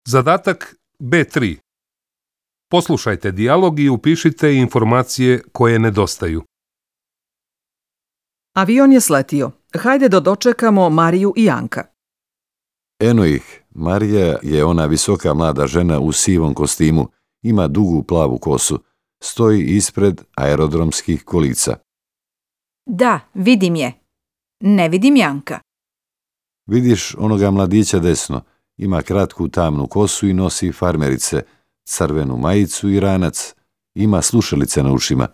Zadatak B3. Poslušajte dijalog i upišite informacije koje nedostaju. Avion je sletio. Hajde da dočekamo Mariju i Janka. Eno ih, Marija je ona visoka mlada žena u sivom kostimu, ima dugu plavu kosu, stoji ispred aerodromskih kolica. Da, vidim je. Ne vidim Janka. Vidiš onoga mladića desno, ima kratku tamnu kosu i nosi farmerice, crvenu majicu i ranac, ima slušalice na ušima.